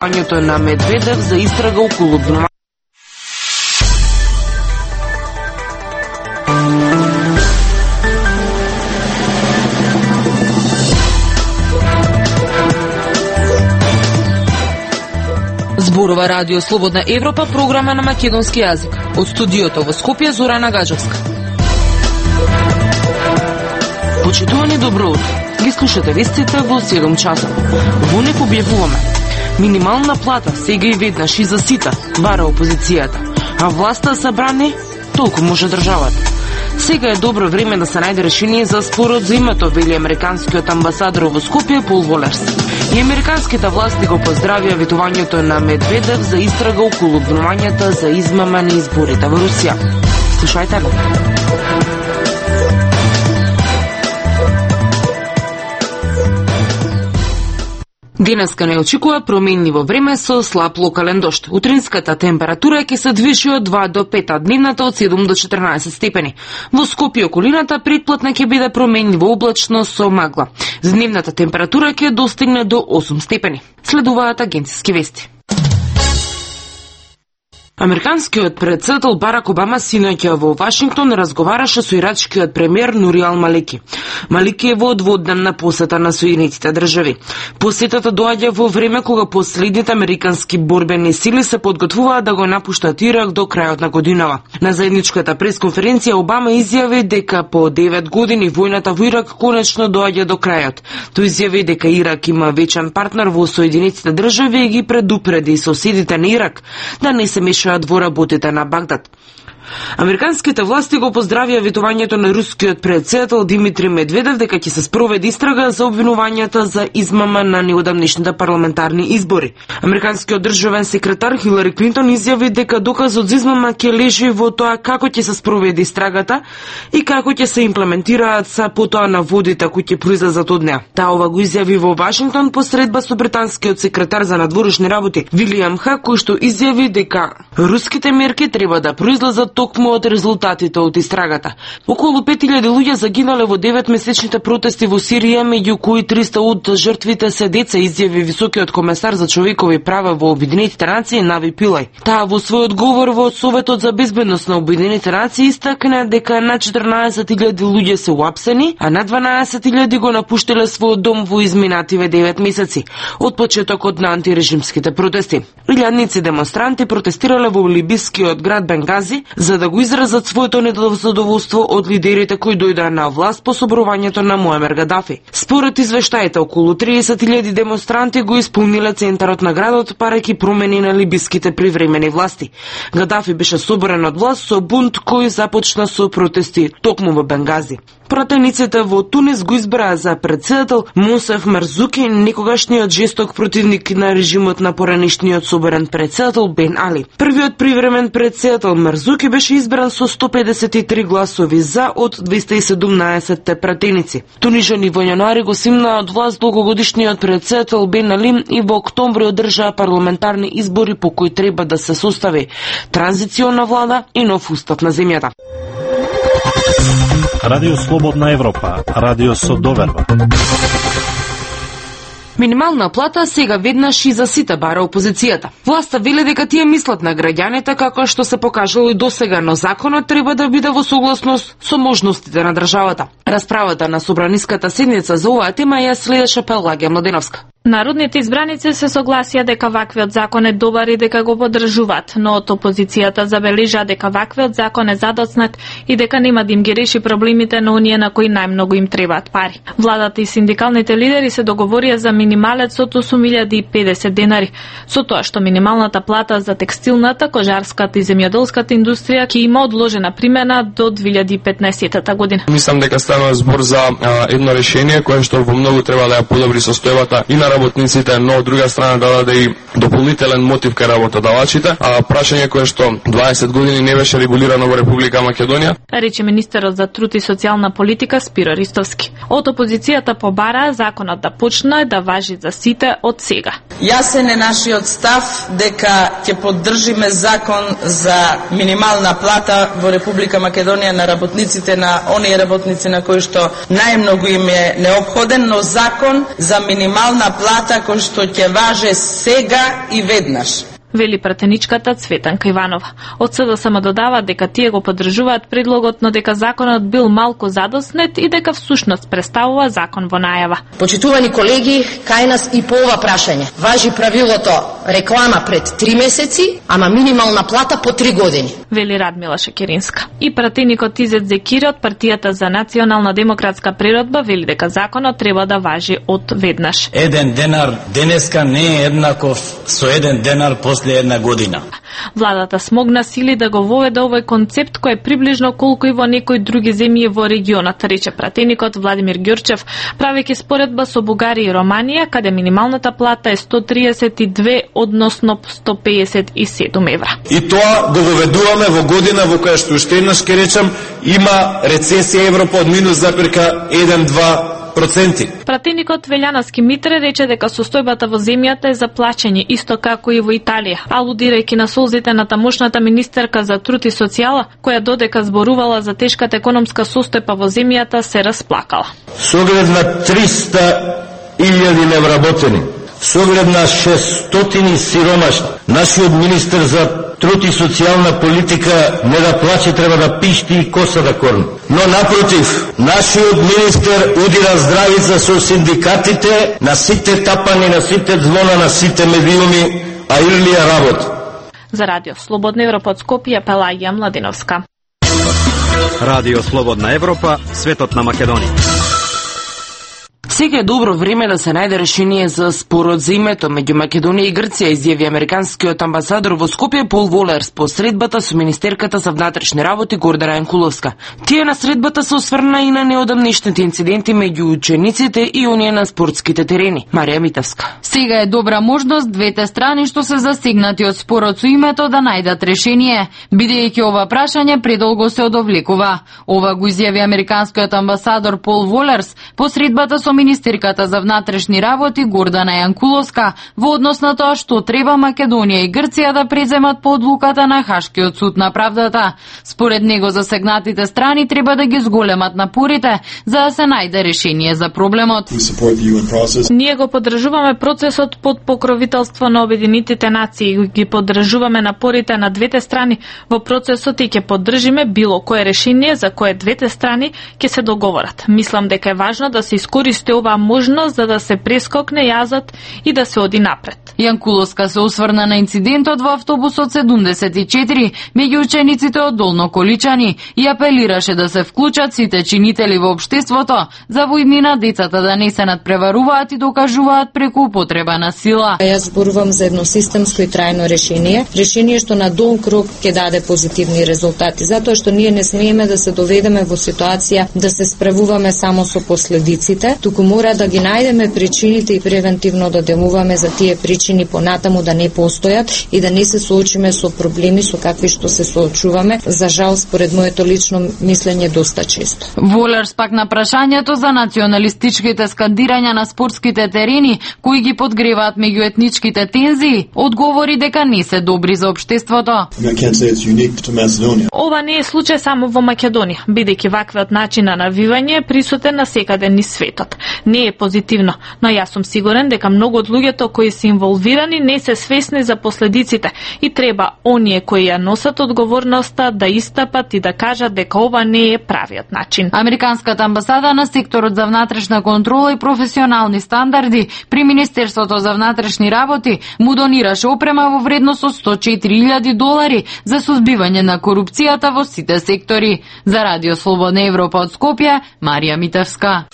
Ањето на Медведев за истрага околу обвинувањето. Зборува Радио Слободна Европа, програма на македонски јазик. Од студиото во Скопје, Зорана Гаджевска. Почитувани, добро утро. Ги слушате вестите во 7 часот. Во них објавуваме: минимална плата сега и веднаш и за сите, бара опозицијата, а власта се брани толку може државата. Сега е добро време да се најде решение за спорот за името, вели американскиот амбасадор во Скопје Пол Волерс. И американските власти го поздравија ветувањето на Медведев за истрага околу обвинувањата за измама на изборите во Русија. Слушајте го. Денеска не очекува променливо време со слаб локален дожд. Утринската температура ќе се движи од 2 до 5, а дневната од 7 до 14 степени. Во Скопје околината предплатна ќе биде променливо облачно со магла. Дневната температура ќе достигне до 8 степени. Следуваат агенциски вести. Американскиот председател Барак Обама синоќа во Вашингтон разговараше со ирачкиот премиер Нури Ал-Малики. Малики е во дводневна посета на Соединетите држави. Посетата доаѓа во време кога последните американски борбени сили се подготвуваат да го напуштат Ирак до крајот на годинава. На заедничката пресконференција Обама изјави дека по 9 години војната во Ирак конечно доаѓа до крајот. Тој изјави дека Ирак има вечен партнер во Соединетите држави и ги предупреди соседите на Ирак да не се мешаат во работите на Багдад. Американските власти го поздравија ветувањето на рускиот председател Димитри Медведев дека ќе се спроведе истрага за обвинувањата за измама на неодамнешните парламентарни избори. Американскиот државен секретар Хилари Клинтон изјави дека доказот за измама ќе лежи во тоа како ќе се спроведе истрагата и како ќе се имплементираат са потоа наводите кои ќе произлезат од неа. Таа ова го изјави во Вашингтон по средба со британскиот секретар за надворешни работи Вилијам Хак, кој што изјави дека руските мерки треба да произлезат токму од резултатите од истрагата. Околу 5000 луѓе загинале во 9-месечните протести во Сирија, меѓу кои 300 од жртвите се деца, изјави високиот комесар за човекови права во Обединетите нации Нави Пилај. Таа во својот говор во Советот за безбедност на Обединетите нации истакна дека на 14.000 луѓе се уапсени, а на 12.000 го напуштиле својот дом во изминативе 9 месеци од почетокот на антирежимските протести. Илјадници демонстранти протестирале во либискиот град Бенгази за да го изразат своето недоволство од лидерите кои дојдоа на власт по собрувањето на Муамер Гадафи. Според извештаите, околу 30.000 демонстранти го исполниле центарот на градот, парајќи промени на либиските привремени власти. Гадафи беше соборен од власт со бунт кој започна со протести токму во Бенгази. Пратениците во Тунис го избраа за председател Мусеф Марзуки, некогашниот жесток противник на режимот на поранешниот соборен председател Бен Али. Првиот привремен председател Марзуки беше избран со 153 гласови за од 217 пратеници. Тунижани во јануари го симнаа од власт долгогодишниот председател Бен Али и во октомври одржаа парламентарни избори по кои треба да се состави транзициона влада и нов устав на земјата. Радио Слободна Европа, радио со доверба. Минимална плата сега веднаш и за сите, бара опозицијата. Власта веле дека тие мислат на граѓаните како што се покажало и досега, но законот треба да биде во согласност со можностите на државата. Расправата на собраниската седница за оваа тема ја следеше Пелагија Младеновска. Народните избраници се согласија дека ваквиот закон е добар и дека го поддржуваат, но од опозицијата забележа дека ваквиот закон е задоцнат и дека нема да им ги реши проблемите на оние на кои најмногу им требаат пари. Владата и синдикалните лидери се договорија за минималец од 8.050 денари, со тоа што минималната плата за текстилната, кожарската и земјоделската индустрија ќе има одложена примена до 2015 година. Мислам дека станува збор за едно решение кое што во многу треба да ја подобри состојбата и на работниците, но од друга страна да даде и дополнителен мотив кај работодавачите, а прашање кое што 20 години не беше регулирано во Република Македонија. Рече министерот за труд и социјална политика Спиро Ристовски. Од опозицијата побара законот да почне да важи за сите од сега. Јасен е нашиот став дека ќе поддржиме закон за минимална плата во Република Македонија на работниците, на оние работници на кои што најмногу им е неопходен, но закон за минимална плата кој што ќе важе сега и веднаш, вели пратеничката Цветанка Иванова. Од СДСМ додава дека тие го поддржуваат предлогот, но дека законот бил малку задоснет и дека всушност представува закон во најава. Почитувани колеги, кај нас и по ова прашање важи правилото реклама пред 3 месеци, ама минимална плата по 3 години, вели Радмила Шекеринска. И пратеникот Изет Зекири од партијата за национална демократска природба вели дека законот треба да важи од веднаш. Еден денар денеска не е еднаков со еден денар после една година. Владата смогна сили да го воведе овој концепт кој е приближно колку и во некои други земји во регионот, рече пратеникот Владимир Ѓурчев, правејќи споредба со Бугарија и Романија, каде минималната плата е 132, односно 157 евра. И тоа го воведуваме во година во која што уште еднаш ке речам има рецесија Европа од -1-2%. Пратеникот Велјановски Митре рече дека состојбата во земјата е за плачење, исто како и во Италија, алудирајќи на солзите на тамошната министерка за труд и социјала, која додека зборувала за тешката економска состојба во земјата, се расплакала. Со оглед на 300.000 невработени, со оглед на 600 сиромашни, нашиот министер за труд и социјална политика не да плаче, треба да пишти и коса да корни. Но напротив, нашиот министер удира здравица со синдикатите на сите тапани, на сите звона, на сите медиуми, а Илија работи. За Радио Слободна Европа од Скопје, Пелагија Младиновска. Радио Слободна Европа, светот на Македонија. Сега е добро време да се најде решение за спорот за името меѓу Македонија и Грција, изјави американскиот амбасадор во Скопје Пол Волерс по средбата со министерката за внатрешни работи Гордана Јанкуловска. Тие на средбата се осврна и на неодамнешните инциденти меѓу учениците и оние на спортските терени. Марија Митевска. Сега е добра можност двете страни што се засегнати од спорот со името да најдат решение, бидејќи ова прашање предолго се одовлекува. Ова го изјави американскиот амбасадор Пол Волерс по средбата со министерката за внатрешни работи Гордана Јанкуловска во однос на тоа што треба Македонија и Грција да преземат по одлуката на Хашкиот суд на правдата. Според него засегнатите страни треба да ги зголемат напорите за да се најде решение за проблемот. Ние го поддржуваме процесот под покровителство на Обединетите нации и ги поддржуваме напорите на двете страни во процесот и ќе поддржиме било кое решение за кое двете страни ќе се договорат. Мислам дека е важно да се искористи оваа можност за да се прескокне јазот и да се оди напред. Јанкуловска се осврна на инцидентот во автобусот 74 меѓу учениците од Долно Количани и апелираше да се вклучат сите чинители во општеството за во иднина децата да не се надпреваруваат и докажуваат преку употреба на сила. Јас зборувам за едно системско и трајно решение што на долг рок ќе даде позитивни резултати, затоа што ние не смееме да се доведеме во ситуација да се справуваме само со последиците, туку мора да ги најдеме причините и превентивно да делуваме за тие причини понатаму да не постојат и да не се соочиме со проблеми со какви што се соочуваме, за жал според моето лично мислење доста често. Волерс пак на прашањето за националистичките скандирања на спортските терени кои ги подгреваат меѓуетничките тензии, одговори дека не се добри за општеството. Ова не е случај само во Македонија, бидејќи ваквиот начин на навивање е присутен на секаде низ светот. Не е позитивно, но јас сум сигурен дека многу од луѓето кои се инволвирани не се свесни за последиците и треба оние кои ја носат одговорноста да истапат и да кажат дека ова не е правиот начин. Американската амбасада на секторот за внатрешна контрола и професионални стандарди при Министерството за внатрешни работи му донираше опрема во вредност од $104.000 за сузбивање на корупцијата во сите сектори. За Радио Слободна Европа од Скопје, Марија Митевска.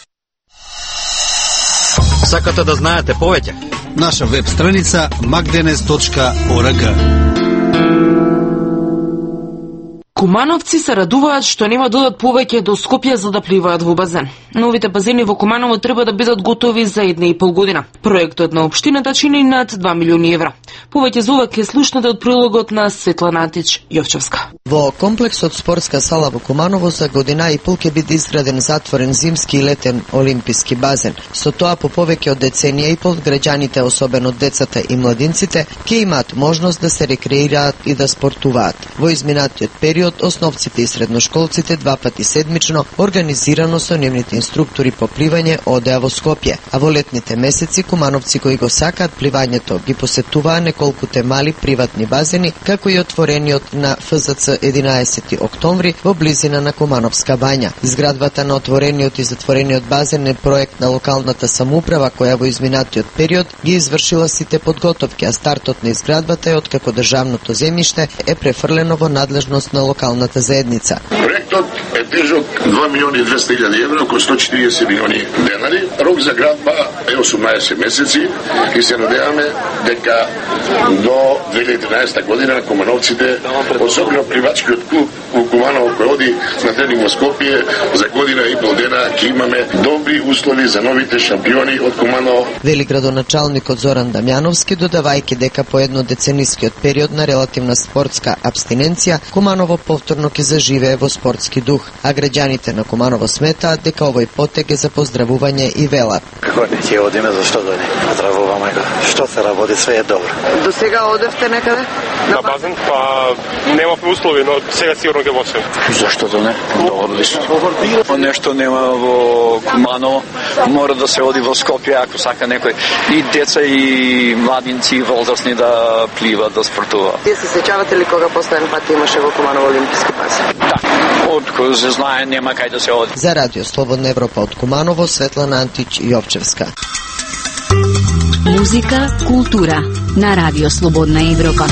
Сакате да знаете повеќе? Наша веб страница magdenes.org. Кумановци се радуваат што нема да одат повеќе до Скопје за да пливаат во базен. Новите базени во Куманово треба да бидат готови за 1,5 година. Проектот на општината чини над 2 милиони евра. Повеќе за ова ќе слушнете од прилогот на Светлана Антич-Јовчевска. Во комплексот спортска сала во Куманово за година и пол ќе биде изграден затворен зимски и летен олимписки базен. Со тоа по повеќе од деценија и пол граѓаните, особено децата и младинците, ќе имаат можност да се рекреираат и да спортуваат. Во изминатиот период основците и средношколците 2 пати седмично организирано со нивните инструктори по пливање одеа во Скопје, а во летните месеци кумановци кои го сакаат пливањето ги посетуваа неколкуте мали приватни базени, како и отворениот на ФЗЦ 11 октомври во близина на Кумановска бања. Изградбата на отворениот и затворениот базен е проект на локалната самоуправа која во изминатиот период ги извршила сите подготовки, а стартот на изградбата е откако државното земјиште е префрлено во надлежност на локалната заедница. Проектот е тежок 2.200.000 евро, околу 140 милиони денари. Рок за градба е 18 месеци и се надеваме дека до 2013 година кумановците, особено пливачкиот клуб во Куманово кој оди на тренинг во Скопје, за година и пол дена ќе имаме добри услови за новите шампиони од Куманово. Вели градоначалникот Зоран Дамјановски, додавајќи дека по еднодеценискиот период на релативна спортска абстиненција, Куманово повторно ќе заживее во спортски дух, а граѓаните на Куманово сметаат дека овој потек е за поздравување и велат. Како не ќе одиме, зашто да не? Поздравуваме го. Што се работи, све е добро. До сега одевте некаде? На базен, па немавме услови, но сега сигурно ќе почнем. Зашто да не? Одлично. Нешто нема во Куманово, мора да се оди во Скопје ако сака некој и деца и младинци и возрастни да пливат, да спортуваат. Тие се сеќавате ли кога последен пат имаше во Куманово олимписки базен? Да. Од кој се знае нема кај да се оди. За Радио Слободна Европа од Куманово, Светлана Антич-Јовчевска. Музика, култура на Радио Слободна Европа.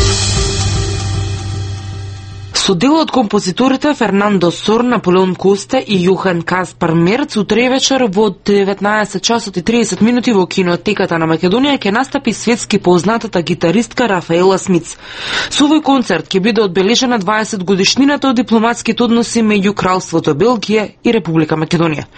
Со дел од композиторите Фернандо Сор, Наполеон Косте и Јохан Каспар Мерц утре вечер во 19 часот и 30 минути во кинотеката на Македонија ќе настапи светски познатата гитаристка Рафаела Смиц. Со овој концерт ќе биде одбележена 20 годишнината од дипломатските односи меѓу Кралството Белгија и Република Македонија.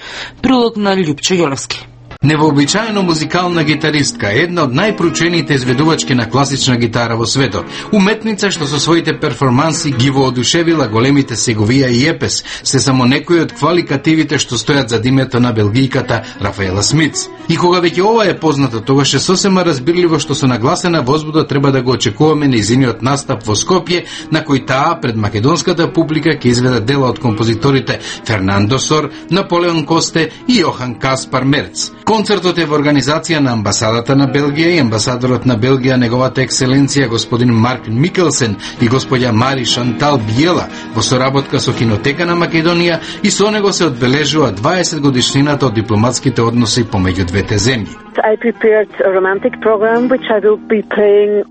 Прилог на Љупчо Јолевски. Невообичаено музикална гитаристка, една од најпроучените изведувачки на класична гитара во светот. Уметница што со своите перформанси ги воодушевила големите Сеговија и Епес, се само некои од кваликативите што стојат зад името на белгијката Рафаела Смиц. И кога веќе ова е познато, тогаш е сосема разбирливо што со нагласена возбуда треба да го очекуваме нејзиниот настап во Скопје, на кој таа пред македонската публика ќе изведе дела од композиторите Фернандо Сор, Наполеон Косте и Јохан Каспар Мерц. Концертот е во организација на амбасадата на Белгија и амбасадорот на Белгија, неговата екселенција господин Марк Микелсен и господја Мари Шантал Биела, во соработка со Кинотека на Македонија, и со него се одбележува 20 годишнината од дипломатските односи помеѓу двете земји.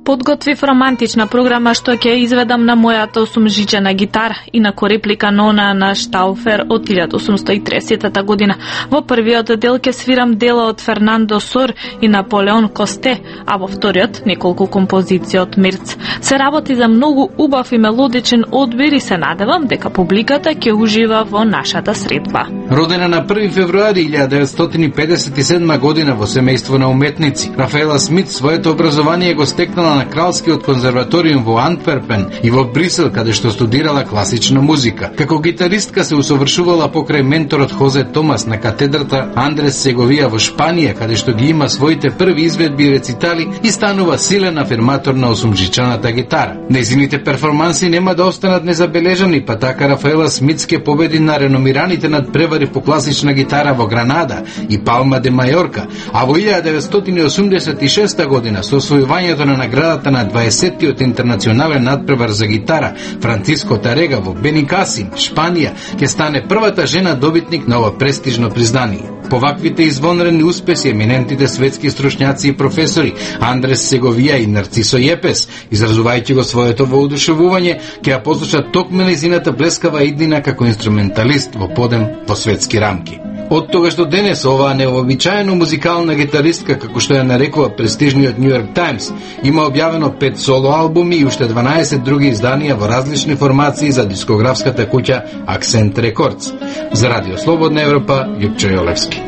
Подготвив романтична програма што ќе изведам на мојата осумжичена гитара, инаку реплика на она на Штауфер од 1830 година. Во првиот дел ќе свирам дела од Фернандо Сор и Наполеон Косте, а во вториот неколку композиции од Мерц. Се работи за многу убав и мелодичен одбир и се надевам дека публиката ќе ужива во нашата средба. Родена на 1 февруари 1957 година во семејство на уметници, Рафаела Смит своето образование го стекнала на Кралскиот конзерваториум во Антверпен и во Брисел, каде што студирала класична музика. Како гитаристка се усовршувала покрај менторот Хозе Томас на катедрата Андрес Сеговија во Шпанија, каде што ги има своите први изведби и рецитали и станува силен афирматор на осумжичаната гитара. Нејзините перформанси нема да останат незабележани, па така Рафаела Смит ќе победи на реномираните надпревари по класична гитара во Гранада и Палма де Мајорка, а во 1986 година со освојувањето на наградата на 20-тиот интернационален надпревар за гитара Франциско Тарега во Беникасим, Шпанија, ќе стане првата жена добитник на ова престижно признание. По ваквите извонредни успеси еминентите светски стручњаци и професори Андрес Сеговија и Нарцисо Јепес, изразувајќи го своето воодушевување, ќе ја послушат токму нејзината блескава иднина како инструменталист во подем во светски рамки. Од тогаш до денес оваа невообичаено музикална гитаристка, како што ја нарекува престижниот Нью Йорк Таймс, има објавено 5 соло албуми и уште 12 други изданија во различни формации за дискографската куќа Акцент Рекордс. За Радио Слободна Европа, Љупчо Јолевски.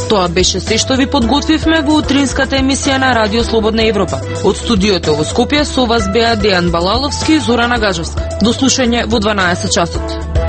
Тоа беше се што ви подготвивме во утринската емисија на Радио Слободна Европа. Од студиото во Скопје со вас беа Дејан Балаловски и Зорана Гажовска. До слушање во 12 часот.